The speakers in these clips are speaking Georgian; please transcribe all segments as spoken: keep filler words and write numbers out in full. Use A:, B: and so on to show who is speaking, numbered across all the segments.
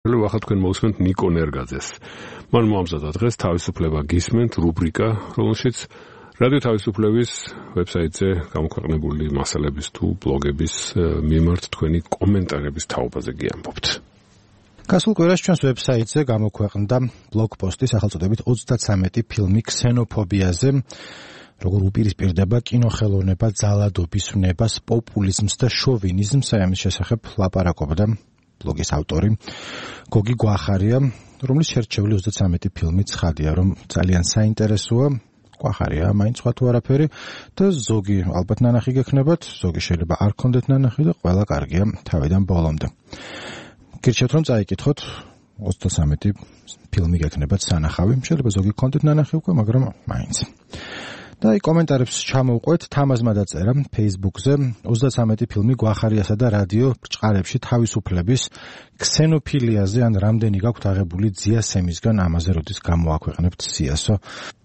A: ახლა თქვენ მოვსმენთ ნიკო ნერგაძეს. მან მოამზადა დღეს თავისუფლება გისმენთ რუბრიკა, რომელშიც რადიო თავისუფლების ვებსაიტზე გამოქვეყნებული მასალების თუ ბლოგების მიმართ თქვენი კომენტარების თაობაზე გიამბობთ.
B: გასულ კვირაში ჩვენს ვებსაიტზე გამოქვეყნდა ბლოგპოსტი სახელწოდებით ოცდათვრამეტი ფილმი ქსენოფობიაზე, როგორ უპირისპირდება კინოხელოვნება ძალადობის ვნებას, პოპულიზმს და შოვინიზმს. ამის შესახებ ლაპარაკობდა ბლოგის ავტორი გოგი გვახარია, რომლის შერჩეული ოცდათვრამეტი ფილმი ცხადია, რომ ძალიან საინტერესოა. გვახარია მაინც სხვა თუ არაფერი და ზოგი ალბათ ნანახი გექნებათ, ზოგი შეიძლება არ გქონდეთ ნანახი და ყველა კარგია თავიდან ბოლომდე. გირჩევთ რომ წაიკითხოთ ოცდათვრამეტი ფილმი გექნებათ სანახავი, შეიძლება ზოგი გქონდეთ ნანახი უკვე, მაგრამ მაინც. და აი კომენტარებს ჩამოვყვეთ, თამაზმა დაწერა Facebook-ზე ოცდათვრამეტი ფილმი გვახარიასა და რადიო ბრჭყალებში თავისუფლების ქსენოფილიაზე ან რამდენი გაქვთ აღებული ძიასემისგან, ამაზე როდის გამოაქვეყნებთ სიასო.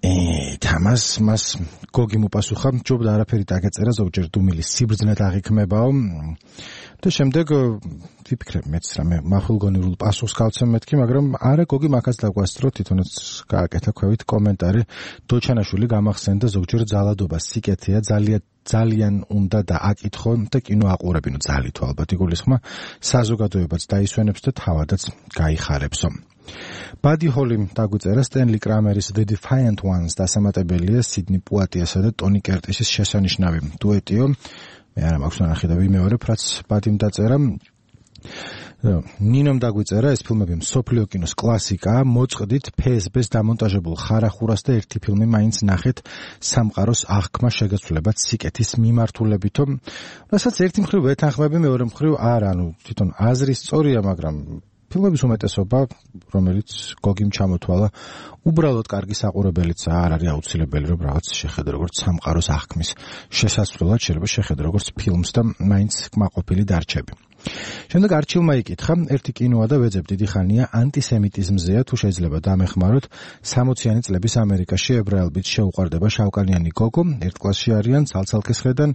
B: ე თამაზ მას გოგი მოპასუხა, ჯობდა არაფერი დაგეწერა, ზოგჯერ დუმილის სიბრძნეთ აღიქმებაო. და შემდეგ ვიფიქრებ მეც რამე მახვილგონივრულ პასუხს გავცემ მეთქი, მაგრამ არა გოგი მაგას დაგვასწრო, თვითონაც გააკეთა ქვევით კომენტარი. დოჩანაშვილი გამახსენდა ზოგჯერ ძალადობა სიკეთეა, ძალიან ძალიან უნდა და აკითხო და კინო აყურებინო ძალით ალბათ იგულისხმა, საზოგადოებაც დაისვენებს და თავადაც გაიხარებსო. ბადი ჰოლიმ დაგვიწერა სტენლი კრამერის The Defiant Ones დასამატებელია სიდნი პუატიასა და ტონი კერტისის შესანიშნავი დუეტიო. მე არა მაქვს ნახე და ვიმეორებ, რაც ბადიმ დაწერა. ნინომ დაგვიწერა ეს ფილმები მსოფლიო კინოს კლასიკაა, მოწყდით ფ ეს ბ-ს დამონტაჟებულ ხარახურას და ერთი ფილმი მაინც ნახეთ სამყაროს აღქმა შეგაცვლებად სიკეთის მიმართულებითო, რასაც ერთი მხრივ ვეთანხმები, მეორე მხრივ არა, ანუ თვითონ აზრი სწორია, მაგრამ ფილმების უმეტესობა, რომელიც გოგიმ ჩამოთვალა, უბრალოდ კარგი საყურებელიც არ არის აუცილებელი, რომ რაღაც შეხედო როგორც სამყაროს აღქმის შესასვლელად შეიძლება შეხედო როგორც ფილმს და მაინც კმაყოფილი დარჩები. შემდეგ არჩილმა იკითხა, ერთი კინოა და ვეძებ დიდი ხანია ანტისემიტიზმზეა, თუ შეიძლება დამეხმაროთ, სამოციანი წლების ამერიკაში ებრაელბიც შეუყვარდება შავკანიანი გოგო, ერთ კლასში არიან, ცალცალკისხედან,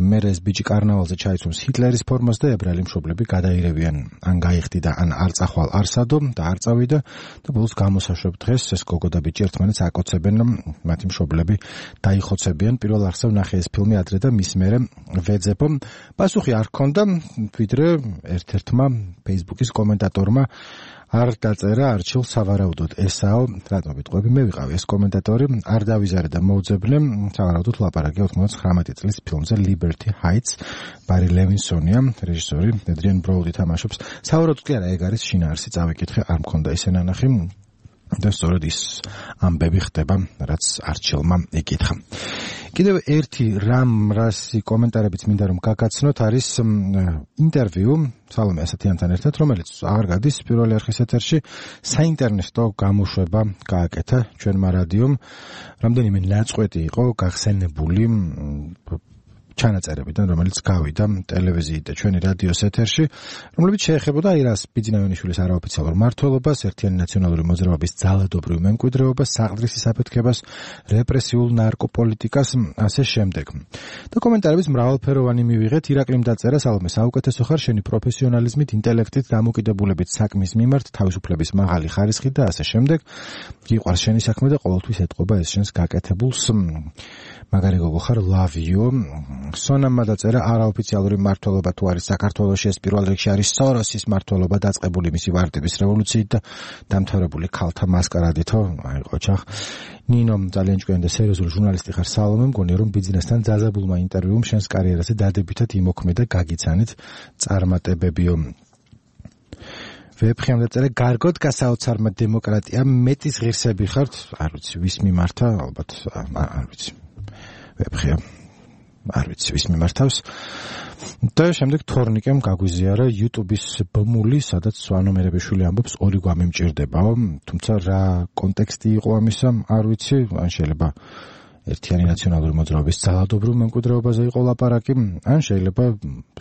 B: მერე ეს ბიჭი კარნავალზე ჩაიცვამს ჰიტლერის ფორმას და ებრაელი მშობლები გადაირევიან, ან გაიხდიდა, ან არ წახვალ არსადო და არ წავიდა და ბოლოს გამოსაშვებ დღეს ეს გოგო და ბიჭი ერთმანეთს აკოცებენ, მათი მშობლები დაიხოცებიან. პირველ არსად ნახე ეს ფილმი ადრე და მის მერე ვეძებო. პასუხი არ ჰქონდა, ვიდრე ერთ-ერთმა Facebook-ის კომენტატორმა არ დაწერა არჩილ სავარაუდოდ ესაო, რატომ ვიტყვები, მე ვიყავი ეს კომენტატორი, არ დავიზარე და მოვძებნე, სავარაუდოდ ლაპარაკია ოცდათხმეტი წლის ფილმზე Liberty Heights, ბარი ლევინსონია, რეჟისორი ედრიან ბროუდი თამაშობს. სავარაუდოდ კი არა, ეგ არის შინაარსი, წავიკითხე, არ მქონდა ისე ნანახი. და სწორედ ის ამბები ხდება, რაც არჩილმა იკითხა. კიდევ ერთი რამ რასი კომენტარებიც მინდა რომ გაგაცნოთ, არის ინტერვიუ სალომე ასათიანთან ერთად, რომელიც აღარ გადის პირველი არხის ეთერში, საინტერნეტო გამოშვება გააკეთა ჩვენმა რადიომ. რამდენიმე ნაწყვეტი იყო გახსენებული ჩანაწერებიდან, რომელიც გავიდა ტელევიზიით და ჩვენი რადიოს ეთერში, რომლებიც შეეხებოდა აირას ბიძინავენიშვილის არაოფიციალურ მმართველობას, ერთიანი ნაციონალური მოძრაობის ძალადობრივ მემკვიდრეობას, საყდრისის აფეთქებას, რეპრესიულ ნარკოპოლიტიკას, ასე შემდეგ. და კომენტარების მრავალფეროვანი მივიღეთ. ირაკლიმ დაწერა, სალომე, საუკეთესო ხარ შენი პროფესიონალიზმით, ინტელექტით, დამოკიდებულებით საქმის მიმართ, თავისუფლების მაღალი ხარისხით და ასე შემდეგ. გიყვარს შენი საქმე და ყოველთვის ეტყობა ეს შენს გაკეთებულს. მაგარი გოგო ხარ, love you. სონამმა დაწერა, არაოფიციალური მმართველობა თუ არის საქართველოში, ეს პირველ რიგში არის სოროსის მმართველობა, დაწყებული მისი ვარდების რევოლუციით და დამთავრებული ქალთა მასკარადითო. აი ყოჩახ. ნინომ ძალიან ჭკვიანი და სერიოზული ჟურნალისტი ხარ, სალომე, მგონია რომ ბიზნესთან ძალებულმა ინტერვიუმ შენს კარიერაზე დადებითად იმოქმედა, გაგიცანით წარმატებებიო. ვეფხიამ დაწერა, გარგოდ გასაოცარმა დემოკრატია, მეტის ღირსები ხართ, არ ვიცი, ვის მიმართა, ალბათ, არ ვიცი. ვეფხიამ არ ვიცი ვის მიმართავს. და შემდეგ თორნიკემ გაგვიზიარა YouTube-ის ბმული, სადაც სვანო მერებიშვილი ამბობს, ორი გვამი მჭირდებაო, თუმცა რა კონტექსტი იყო ამისა, არ ვიცი, ან შეიძლება ერთიანი ნაციონალური მოძრაობის ძალადობრივ მემკვიდრეობაზე იყო ლაპარაკი, ან შეიძლება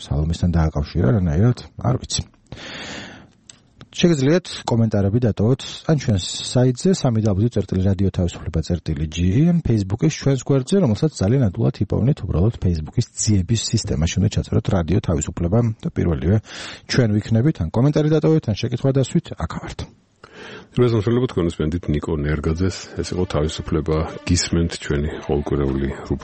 B: სალომესთან დააკავშირა რანაირად, არ ვიცი. შეგიძლიათ კომენტარები დატოვოთ ან ჩვენს საიტზე სამი დაბლიუ წერტილი რადიო თავისუფლება წერტილი ჯი Facebook-ის ჩვენს გვერდზე, რომელსაც ძალიან ადვილად იპოვნეთ, უბრალოდ Facebook-ის ძიების სისტემაში უნდა ჩაწეროთ რადიო თავისუფლება და პირველივე ჩვენ ვიქნებით, ან კომენტარი დატოვეთ, ან შეკითხვა დასვით, აქ ვართ.
A: რეზონსულობთ კონსპენდით ნიკო ნერგაძეს, ეს იყო თავისუფლება გისმენთ ჩვენი ყოველკვირეული